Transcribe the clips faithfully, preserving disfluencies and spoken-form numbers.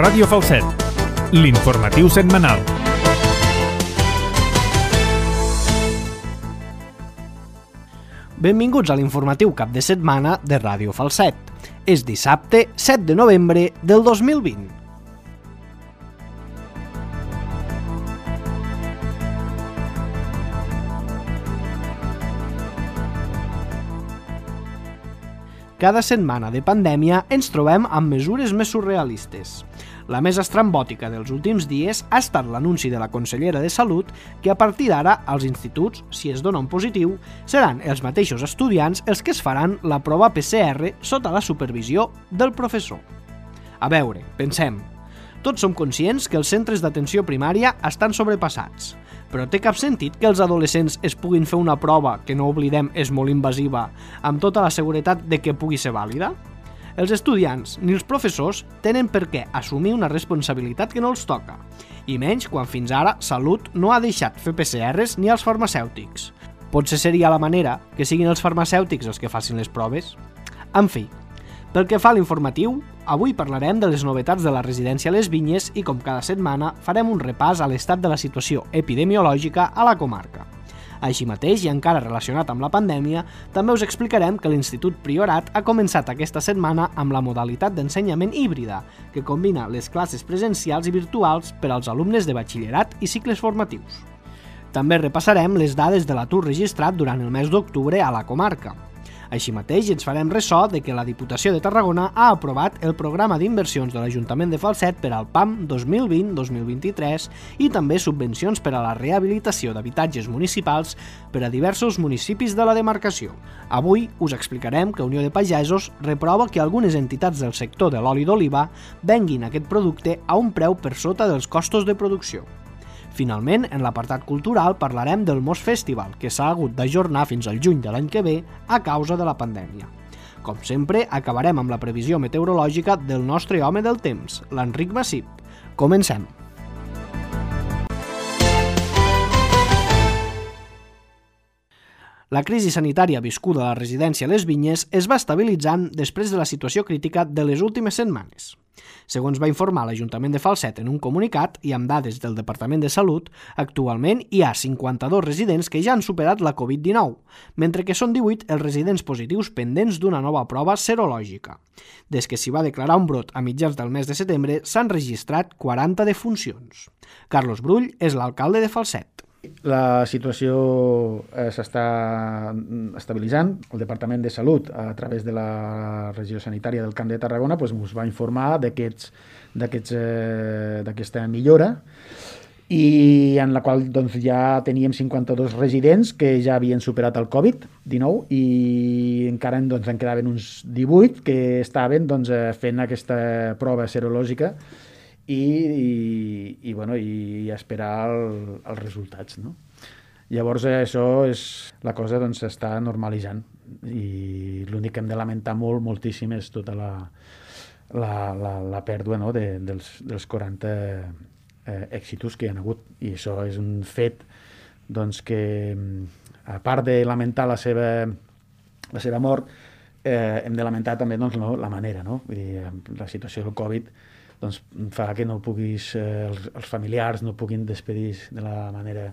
Ràdio Falset, l'informatiu setmanal. Benvinguts a l'informatiu cap de setmana de Ràdio Falset. És dissabte set de novembre del dos mil vint. Cada setmana de pandèmia ens trobem amb mesures més surrealistes. La més estrambòtica dels últims dies ha estat l'anunci de la consellera de Salut que a partir d'ara als instituts, si es dona un positiu, seran els mateixos estudiants els que es faran la prova P C R sota la supervisió del professor. A veure, pensem. Tots som conscients que els centres d'atenció primària estan sobrepassats, però té cap sentit que els adolescents es puguin fer una prova que, no oblidem, és molt invasiva, amb tota la seguretat de que pugui ser vàlida? Els estudiants ni els professors tenen per què assumir una responsabilitat que no els toca, i menys quan fins ara Salut no ha deixat fer P C Rs ni als farmacèutics. Potser seria la manera que siguin els farmacèutics els que facin les proves? En fi, pel que fa a l'informatiu, avui parlarem de les novetats de la residència Les Vinyes i, com cada setmana, farem un repàs a l'estat de la situació epidemiològica a la comarca. Així mateix, i encara relacionat amb la pandèmia, també us explicarem que l'Institut Priorat ha començat aquesta setmana amb la modalitat d'ensenyament híbrida, que combina les classes presencials i virtuals per als alumnes de batxillerat i cicles formatius. També repassarem les dades de l'atur registrat durant el mes d'octubre a la comarca. Així mateix, ens farem ressò de que la Diputació de Tarragona ha aprovat el programa d'inversions de l'Ajuntament de Falset per al P A M dos mil vint dos mil vint-i-tres i també subvencions per a la rehabilitació d'habitatges municipals per a diversos municipis de la demarcació. Avui us explicarem que Unió de Pagesos reprova que algunes entitats del sector de l'oli d'oliva venguin aquest producte a un preu per sota dels costos de producció. Finalment, en l'apartat cultural parlarem del Mos Festival, que s'ha hagut d'ajornar fins al juny de l'any que ve a causa de la pandèmia. Com sempre, acabarem amb la previsió meteorològica del nostre home del temps, l'Enric Massip. Comencem! La crisi sanitària viscuda a la residència Les Vinyes es va estabilitzant després de la situació crítica de les últimes setmanes. Segons va informar l'Ajuntament de Falset en un comunicat i amb dades del Departament de Salut, actualment hi ha cinquanta-dos residents que ja han superat la covid dinou, mentre que són divuit els residents positius pendents d'una nova prova serològica. Des que s'hi va declarar un brot a mitjans del mes de setembre, s'han registrat quaranta defuncions. Carlos Brull és l'alcalde de Falset. La situació eh, s'està estabilitzant. El Departament de Salut, a través de la regió sanitària del Camp de Tarragona, doncs, us va informar d'aquests, d'aquests, eh, d'aquesta millora, i en la qual doncs, ja teníem cinquanta-dos residents que ja havien superat el covid dinou i encara doncs, en quedaven uns divuit que estaven doncs, fent aquesta prova serològica I, i, i, bueno, i esperar el, els resultats, no? Llavors això és, la cosa doncs, s'està normalitzant i l'únic que hem de lamentar molt, moltíssim és tota la, la, la, la pèrdua, no? de, dels, dels quaranta eh, èxitos que hi ha hagut, i això és un fet doncs, que a part de lamentar la seva, la seva mort eh, hem de lamentar també doncs, no, la manera, no? Vull dir, la situació del Covid doncs fa que no puguis, eh, els, els familiars no puguin despedir de la manera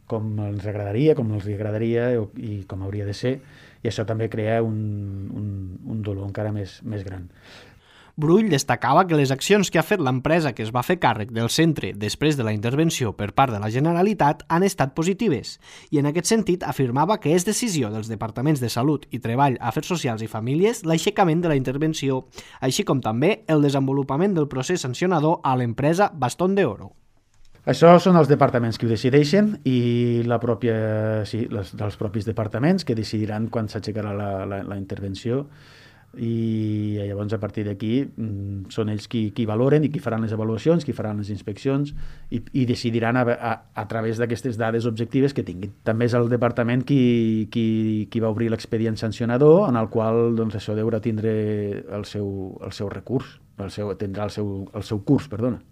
com ens agradaria, com els agradaria i com hauria de ser, i això també crea un, un, un dolor encara més, més gran. Brull destacava que les accions que ha fet l'empresa que es va fer càrrec del centre després de la intervenció per part de la Generalitat han estat positives i en aquest sentit afirmava que és decisió dels departaments de Salut i Treball, Afers Socials i Famílies l'aixecament de la intervenció, així com també el desenvolupament del procés sancionador a l'empresa Bastón de Oro. Això són els departaments que ho decideixen i la pròpia, sí, les, dels propis departaments que decidiran quan s'aixecarà la, la, la intervenció, i llavors a partir d'aquí mm, són ells qui, qui valoren i qui faran les avaluacions, qui faran les inspeccions i, i decidiran a, a, a través d'aquestes dades objectives que tinguin. També és el departament qui, qui, qui va obrir l'expedient sancionador, en el qual doncs, això deurà tindre el seu, el seu recurs, el seu, tindrà el seu, el seu curs, perdona.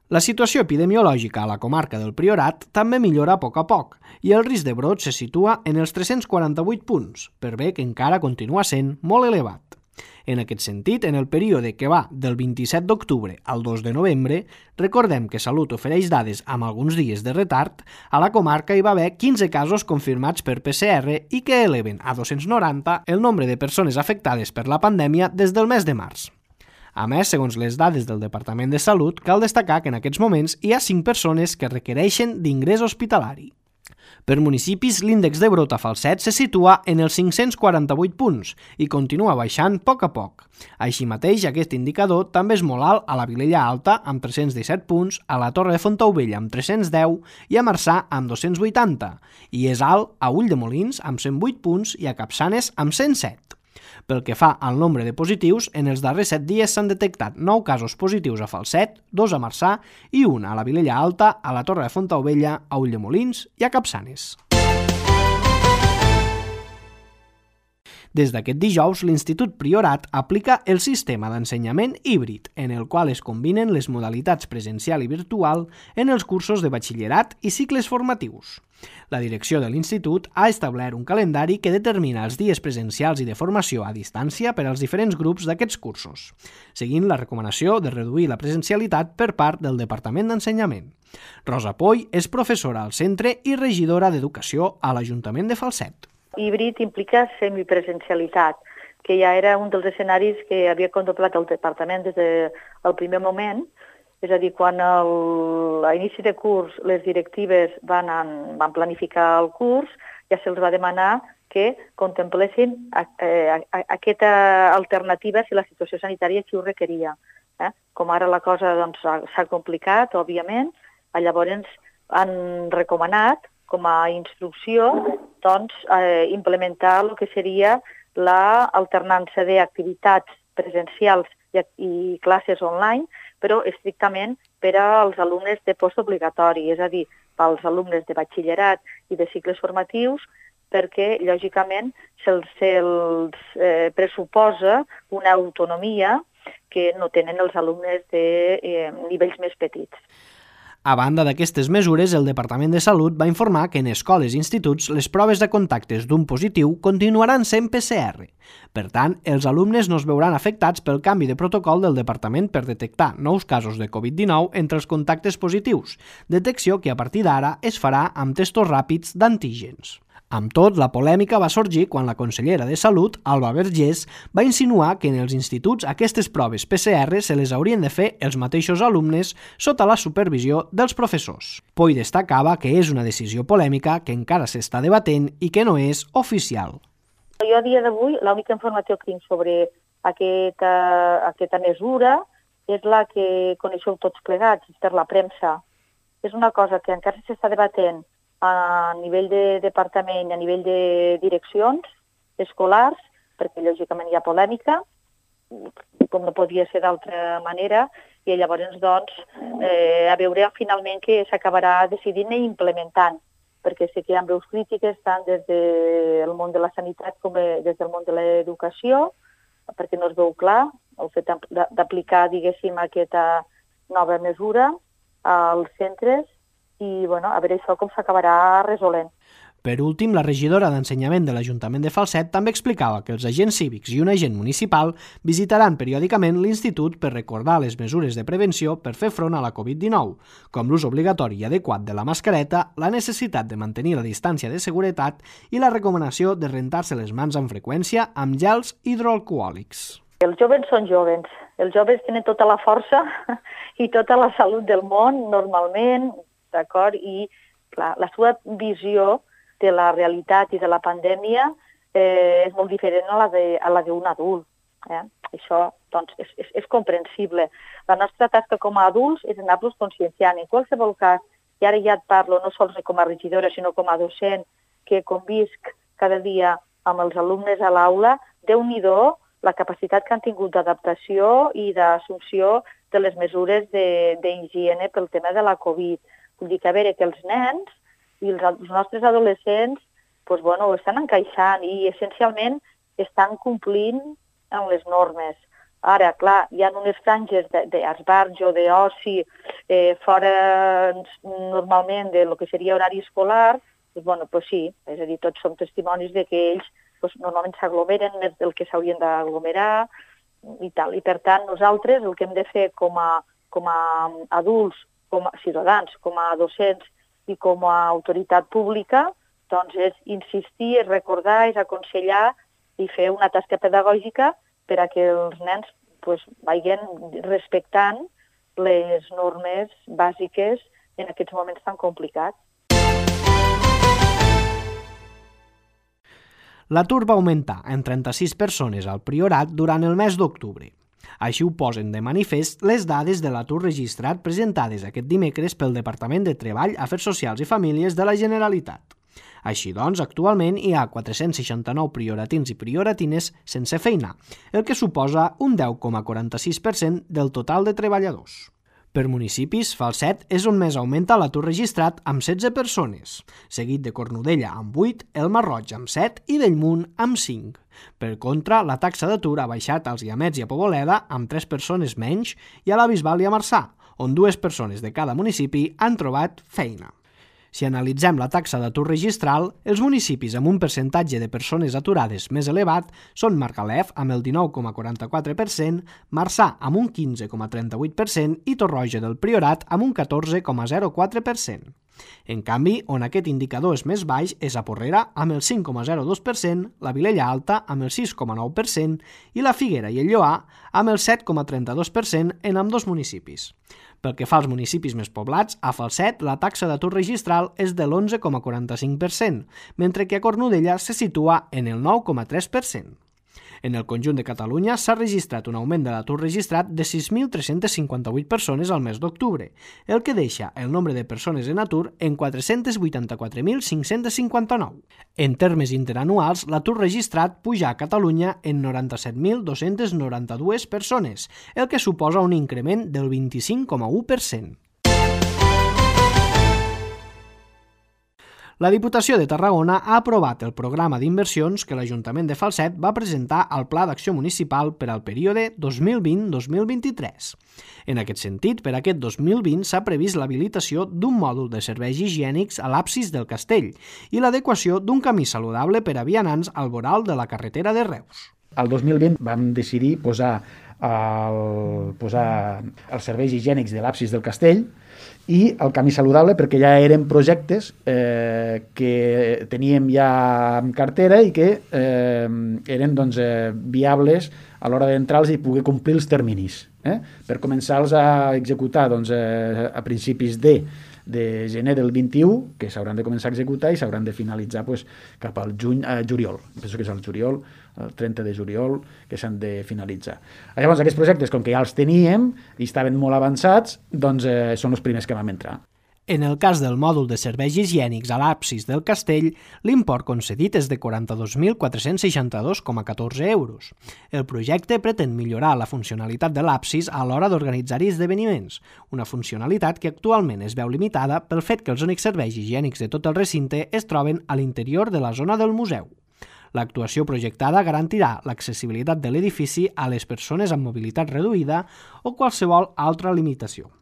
La situació epidemiològica a la comarca del Priorat també millora a poc a poc i el risc de brot se situa en els tres-cents quaranta-vuit punts, per bé que encara continua sent molt elevat. En aquest sentit, en el període que va del vint-i-set d'octubre al dos de novembre, recordem que Salut ofereix dades amb alguns dies de retard, a la comarca hi va haver quinze casos confirmats per P C R i que eleven a dos-cents noranta el nombre de persones afectades per la pandèmia des del mes de març. A més, segons les dades del Departament de Salut, cal destacar que en aquests moments hi ha cinc persones que requereixen d'ingrés hospitalari. Per municipis, l'índex de brot a Falset se situa en els cinc-cents quaranta-vuit punts i continua baixant a poc a poc. Així mateix, aquest indicador també és molt alt a la Vilella Alta, amb tres-cents disset punts, a la Torre de Fontaubella, amb tres-cents deu, i a Marçà, amb dos-cents vuitanta, i és alt a Ulldemolins, amb cent vuit punts, i a Capçanes, amb cent set. Pel que fa al nombre de positius, en els darrers set dies s'han detectat nou casos positius a Falset, dos a Marçà i un a la Vilella Alta, a la Torre de Fontaubella, a Ulldemolins i a Capçanes. Des d'aquest dijous, l'Institut Priorat aplica el sistema d'ensenyament híbrid, en el qual es combinen les modalitats presencial i virtual en els cursos de batxillerat i cicles formatius. La direcció de l'Institut ha establert un calendari que determina els dies presencials i de formació a distància per als diferents grups d'aquests cursos, seguint la recomanació de reduir la presencialitat per part del Departament d'Ensenyament. Rosa Poy és professora al centre i regidora d'Educació a l'Ajuntament de Falset. Híbrid implica semipresencialitat, que ja era un dels escenaris que havia contemplat el departament des del primer moment, és a dir, quan el, a inici de curs les directives van, en, van planificar el curs, ja se'ls va demanar que contemplessin eh, aquesta alternativa si la situació sanitària així ho requeria. Eh? Com ara la cosa doncs, s'ha complicat, òbviament, llavors han recomanat com a instrucció doncs, eh, implementar el que seria l'alternança d'activitats presencials i, i classes online, però estrictament per als alumnes de postobligatori, és a dir, pels alumnes de batxillerat i de cicles formatius, perquè, lògicament, se'ls, se'ls eh, pressuposa una autonomia que no tenen els alumnes de eh, nivells més petits. A banda d'aquestes mesures, el Departament de Salut va informar que en escoles i instituts les proves de contactes d'un positiu continuaran sent P C R. Per tant, els alumnes no es veuran afectats pel canvi de protocol del Departament per detectar nous casos de covid dinou entre els contactes positius, detecció que a partir d'ara es farà amb testos ràpids d'antígens. Amb tot, la polèmica va sorgir quan la consellera de Salut, Alba Vergés, va insinuar que en els instituts aquestes proves P C R se les haurien de fer els mateixos alumnes sota la supervisió dels professors. Poy destacava que és una decisió polèmica que encara s'està debatent i que no és oficial. Jo a dia d'avui l'única informació que tinc sobre aquesta, aquesta mesura és la que coneixeu tots plegats per la premsa. És una cosa que encara s'està debatent a nivell de departament i a nivell de direccions escolars, perquè lògicament hi ha polèmica, com no podia ser d'altra manera, i llavors doncs, eh, a veure finalment què s'acabarà decidint i implementant, perquè sé que hi ha veus crítiques tant des del món de la sanitat com des del món de l'educació, perquè no es veu clar el fet d'aplicar, diguéssim, aquesta nova mesura als centres, i bueno, a veure això com s'acabarà resolent. Per últim, la regidora d'Ensenyament de l'Ajuntament de Falset també explicava que els agents cívics i un agent municipal visitaran periòdicament l'institut per recordar les mesures de prevenció per fer front a la covid dinou, com l'ús obligatori i adequat de la mascareta, la necessitat de mantenir la distància de seguretat i la recomanació de rentar-se les mans amb freqüència amb gels hidroalcohòlics. Els joves són joves. Els joves tenen tota la força i tota la salut del món, normalment, d'acord? I clar, la seva visió de la realitat i de la pandèmia eh, és molt diferent a la de, a la d'un adult. Eh? Això doncs, és, és, és comprensible. La nostra tasca com a adults és anar-los conscienciant. En qualsevol cas, i ara ja et parlo no sols com a regidora, sinó com a docent, que convisc cada dia amb els alumnes a l'aula, Déu-n'hi-do la capacitat que han tingut d'adaptació i d'assumpció de les mesures d'higiene pel tema de la Covid. Vull dir que a veure que els nens i els, els nostres adolescents doncs, bueno, ho estan encaixant i essencialment estan complint amb les normes. Ara, clar, hi ha unes franges d'esbarjo o d'oci eh, fora normalment de lo que seria horari escolar, doncs, bueno, pues sí, és a dir, tots som testimonis de que ells doncs, normalment s'aglomeren més del que s'haurien d'aglomerar i tal. I per tant, nosaltres el que hem de fer com a, com a adults, com a ciutadans, com a docents i com a autoritat pública, doncs és insistir, és recordar, és aconsellar i fer una tasca pedagògica per a que els nens pues, vagin respectant les normes bàsiques en aquests moments tan complicats. L'atur va augmentar en trenta-sis persones al Priorat durant el mes d'octubre. Així ho posen de manifest les dades de l'atur registrat presentades aquest dimecres pel Departament de Treball, Afers Socials i Famílies de la Generalitat. Així doncs, actualment hi ha quatre-cents seixanta-nou prioratins i prioratines sense feina, el que suposa un deu coma quaranta-sis per cent del total de treballadors. Per municipis, Falset és on més augmenta l'atur registrat amb setze persones, seguit de Cornudella amb vuit, el Masroig amb set i Bellmunt amb cinc. Per contra, la taxa d'atur ha baixat als Guiamets i a Poboleda amb tres persones menys i a la Bisbal i a Marçà, on dues persones de cada municipi han trobat feina. Si analitzem la taxa d'atur registral, els municipis amb un percentatge de persones aturades més elevat són Margalef amb el dinou coma quaranta-quatre per cent, Marçà amb un quinze coma trenta-vuit per cent i Torroja del Priorat amb un catorze coma zero quatre per cent. En canvi, on aquest indicador és més baix és a Porrera amb el cinc coma zero dos per cent, la Vilella Alta amb el sis coma nou per cent i la Figuera i el Lloar amb el set coma trenta-dos per cent en ambdós municipis. Pel que fa als municipis més poblats, a Falset la taxa d'atur registral és de l'onze coma quaranta-cinc per cent, mentre que a Cornudella se situa en el nou coma tres per cent. En el conjunt de Catalunya s'ha registrat un augment de l'atur registrat de sis mil tres-cents cinquanta-vuit persones al mes d'octubre, el que deixa el nombre de persones en atur en quatre-cents vuitanta-quatre mil cinc-cents cinquanta-nou. En termes interanuals, l'atur registrat puja a Catalunya en noranta-set mil dos-cents noranta-dues persones, el que suposa un increment del vint-i-cinc coma u per cent. La Diputació de Tarragona ha aprovat el programa d'inversions que l'Ajuntament de Falset va presentar al Pla d'Acció Municipal per al període dos mil vint a dos mil vint-i-tres. En aquest sentit, per aquest dos mil vint s'ha previst l'habilitació d'un mòdul de serveis higiènics a l'absis del castell i l'adequació d'un camí saludable per a vianants al voral de la carretera de Reus. El dos mil vint vam decidir posar, el, posar els serveis higiènics de l'absis del castell i el camí saludable perquè ja eren projectes eh, que teníem ja en cartera i que eh, eren doncs, eh, viables a l'hora d'entrar-los i poder complir els terminis. Eh? Per començar-los a executar doncs, eh, a principis de, de gener del vint-i-u, que s'hauran de començar a executar i s'hauran de finalitzar pues, cap al juny, eh, juliol. Penso que és el juliol, el trenta de juliol, que s'han de finalitzar. Llavors, aquests projectes, com que ja els teníem i estaven molt avançats, doncs eh, són els primers que vam entrar. En el cas del mòdul de serveis higiènics a l'absis del castell, l'import concedit és de quaranta-dos mil quatre-cents seixanta-dos coma catorze euros. El projecte pretén millorar la funcionalitat de l'absis a l'hora d'organitzar-hi esdeveniments, una funcionalitat que actualment es veu limitada pel fet que els únics serveis higiènics de tot el recinte es troben a l'interior de la zona del museu. L'actuació projectada garantirà l'accessibilitat de l'edifici a les persones amb mobilitat reduïda o qualsevol altra limitació.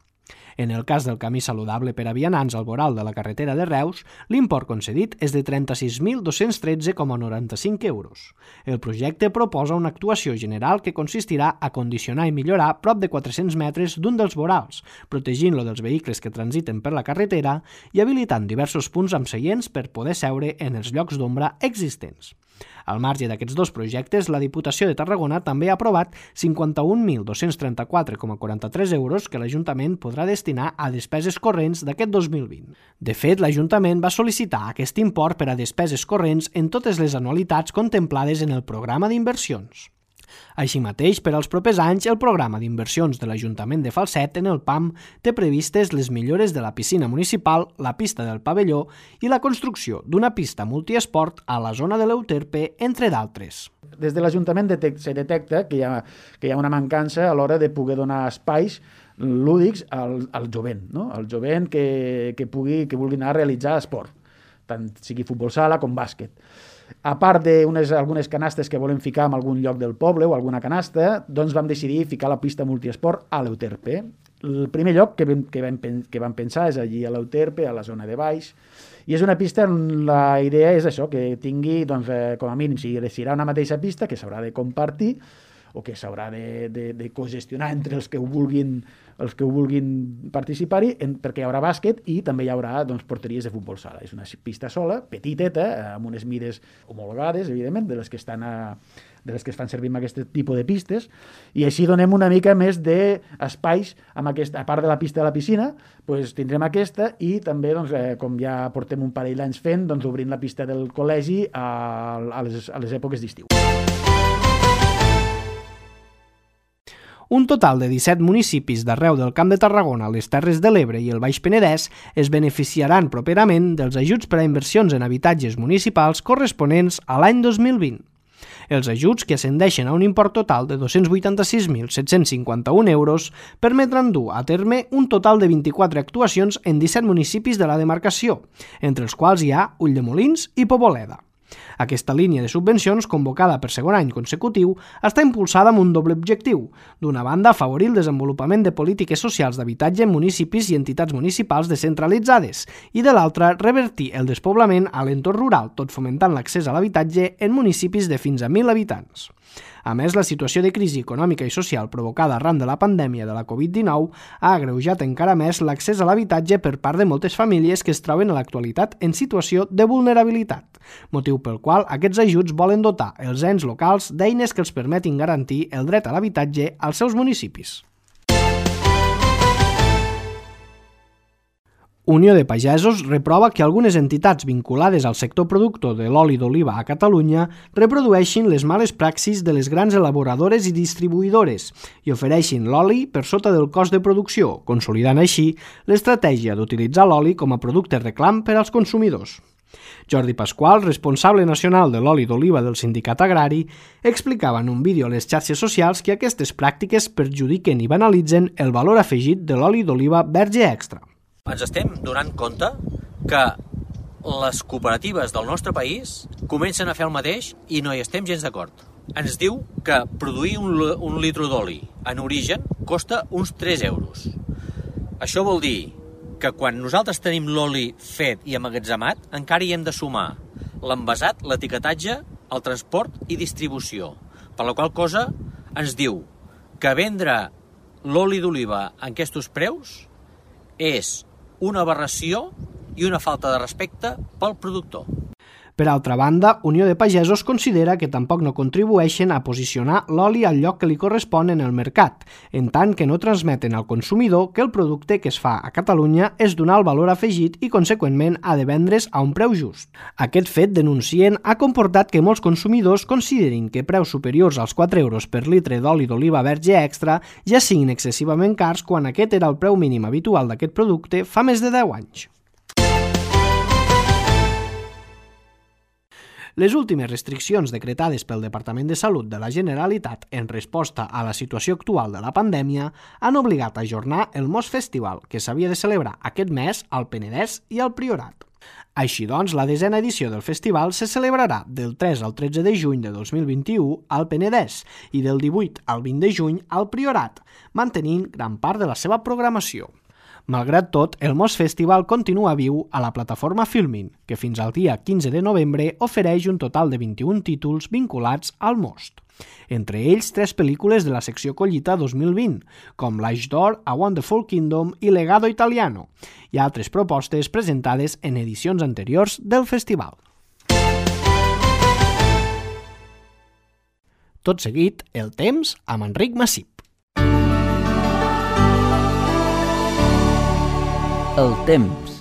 En el cas del camí saludable per a vianants al voral de la carretera de Reus, l'import concedit és de trenta-sis mil dos-cents tretze coma noranta-cinc euros. El projecte proposa una actuació general que consistirà a condicionar i millorar prop de quatre-cents metres d'un dels vorals, protegint-lo dels vehicles que transiten per la carretera i habilitant diversos punts amb seients per poder seure en els llocs d'ombra existents. Al marge d'aquests dos projectes, la Diputació de Tarragona també ha aprovat cinquanta-un mil dos-cents trenta-quatre coma quaranta-tres euros que l'Ajuntament podrà destinar a despeses corrents d'aquest dos mil vint. De fet, l'Ajuntament va sol·licitar aquest import per a despeses corrents en totes les anualitats contemplades en el programa d'inversions. Així mateix, per als propers anys, el programa d'inversions de l'Ajuntament de Falset en el P A M té previstes les millores de la piscina municipal, la pista del pavelló i la construcció d'una pista multiesport a la zona de l'Euterpe, entre d'altres. Des de l'Ajuntament detec- se detecta que hi, ha, que hi ha una mancança a l'hora de poder donar espais lúdics al, al jovent, no? Al jovent que, que, pugui, que vulgui anar a realitzar esport, tant sigui futbol sala com bàsquet. A part d'algunes canastes que volem ficar en algun lloc del poble o alguna canasta, doncs vam decidir ficar la pista multiesport a l'Euterpe. el primer lloc que vam, que vam, que vam pensar és allí a l'Euterpe, a la zona de baix, i és una pista on la idea és això, que tingui, doncs, eh, com a mínim, si serà una mateixa pista, que s'haurà de compartir, o que s'haurà de, de, de cogestionar entre els que ho vulguin, els que ho vulguin participar-hi, en, perquè hi haurà bàsquet i també hi haurà, doncs, porteries de futbol sala. És una pista sola, petiteta, amb unes mides homologades, evidentment, de les que estan a, de les que es fan servir amb aquest tipus de pistes, i així donem una mica més d'espais, amb aquesta, a part de la pista de la piscina, doncs tindrem aquesta, i també, doncs, eh, com ja portem un parell d'anys fent, doncs, obrint la pista del col·legi a, a, les, a les èpoques d'estiu. Un total de disset municipis d'arreu del Camp de Tarragona, les Terres de l'Ebre i el Baix Penedès es beneficiaran properament dels ajuts per a inversions en habitatges municipals corresponents a l'any dos mil vint. Els ajuts, que ascendeixen a un import total de dos-cents vuitanta-sis mil set-cents cinquanta-un euros, permetran dur a terme un total de vint-i-quatre actuacions en disset municipis de la demarcació, entre els quals hi ha Ulldemolins i Poboleda. Aquesta línia de subvencions, convocada per segon any consecutiu, està impulsada amb un doble objectiu. D'una banda, afavorir el desenvolupament de polítiques socials d'habitatge en municipis i entitats municipals descentralitzades, i de l'altra, revertir el despoblament a l'entorn rural, tot fomentant l'accés a l'habitatge en municipis de fins a mil habitants. A més, la situació de crisi econòmica i social provocada arran de la pandèmia de la covid dinou ha agreujat encara més l'accés a l'habitatge per part de moltes famílies que es troben a l'actualitat en situació de vulnerabilitat, motiu pel qual aquests ajuts volen dotar els ens locals d'eines que els permetin garantir el dret a l'habitatge als seus municipis. Unió de Pagesos reprova que algunes entitats vinculades al sector productor de l'oli d'oliva a Catalunya reprodueixin les males praxis de les grans elaboradores i distribuïdores i ofereixin l'oli per sota del cost de producció, consolidant així l'estratègia d'utilitzar l'oli com a producte reclam per als consumidors. Jordi Pasqual, responsable nacional de l'oli d'oliva del Sindicat Agrari, explicava en un vídeo a les xarxes socials que aquestes pràctiques perjudiquen i banalitzen el valor afegit de l'oli d'oliva verge extra. Ens estem donant compte que les cooperatives del nostre país comencen a fer el mateix i no hi estem gens d'acord. Ens diu que produir un, un litro d'oli en origen costa uns tres euros. Això vol dir que quan nosaltres tenim l'oli fet i emmagatzemat, encara hi hem de sumar l'envasat, l'etiquetatge, el transport i distribució. Per la qual cosa ens diu que vendre l'oli d'oliva en aquests preus és una aberració i una falta de respecte pel productor. Per altra banda, Unió de Pagesos considera que tampoc no contribueixen a posicionar l'oli al lloc que li correspon en el mercat, en tant que no transmeten al consumidor que el producte que es fa a Catalunya és d'un alt valor afegit i, conseqüentment, ha de vendre's a un preu just. Aquest fet, denuncien, ha comportat que molts consumidors considerin que preus superiors als quatre euros per litre d'oli d'oliva verge extra ja siguin excessivament cars quan aquest era el preu mínim habitual d'aquest producte fa més de deu anys. Les últimes restriccions decretades pel Departament de Salut de la Generalitat en resposta a la situació actual de la pandèmia han obligat a ajornar el Mos Festival, que s'havia de celebrar aquest mes al Penedès i al Priorat. Així doncs, la desena edició del festival se celebrarà del tres al tretze de juny de dos mil vint-i-u al Penedès i del divuit al vint de juny al Priorat, mantenint gran part de la seva programació. Malgrat tot, el Mos Festival continua viu a la plataforma Filmin, que fins al dia quinze de novembre ofereix un total de vint-i-un títols vinculats al Most. Entre ells, tres pel·lícules de la secció Collita dos mil vint, com L'Eix d'Or, A Wonderful Kingdom i Legado Italiano, i altres propostes presentades en edicions anteriors del festival. Tot seguit, el temps amb Enric Massip. El temps.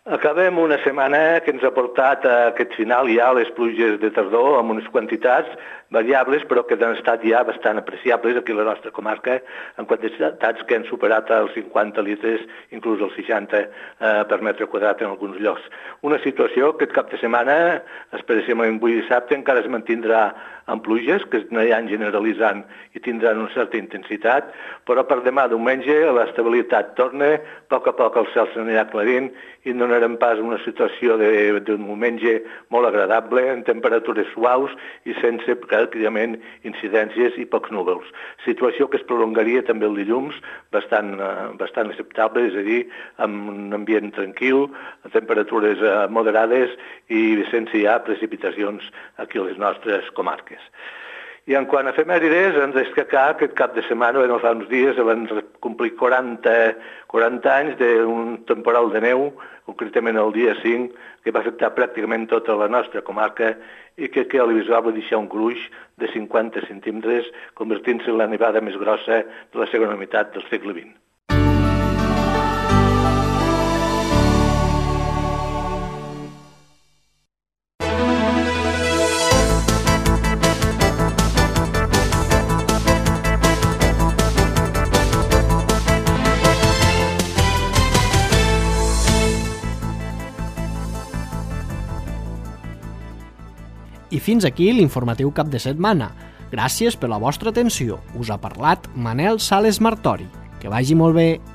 Acabem una setmana que ens ha portat a aquest final ja les pluges de tardor amb unes quantitats variables però que han estat ja bastant apreciables aquí a la nostra comarca en quantitats que han superat els cinquanta litres, inclús els seixanta eh, per metre quadrat en alguns llocs. Una situació que aquest cap de setmana, especialment avui dissabte, encara es mantindrà amb pluges que es aniran generalitzant i tindran una certa intensitat, però per demà diumenge l'estabilitat torna, a poc a poc el cel s'anirà aclarint i no donarem pas una situació d'un diumenge molt agradable, en temperatures suaus i sense pràcticament incidències i pocs núvols. Situació que es prolongaria també el dilluns, bastant, bastant acceptable, és a dir, amb un ambient tranquil, a temperatures moderades i sense ja precipitacions aquí a les nostres comarques. I en quant a efemèrides, ens destacar aquest cap de setmana, ben fa uns dies, van complir quaranta, quaranta anys d'un temporal de neu, concretament el dia cinc, que va afectar pràcticament tota la nostra comarca i que a l'Ibisbal va deixar un gruix de cinquanta centímetres, convertint-se en la nevada més grossa de la segona meitat del segle vint. I fins aquí l'informatiu cap de setmana. Gràcies per la vostra atenció. Us ha parlat Manel Sales Martori. Que vagi molt bé.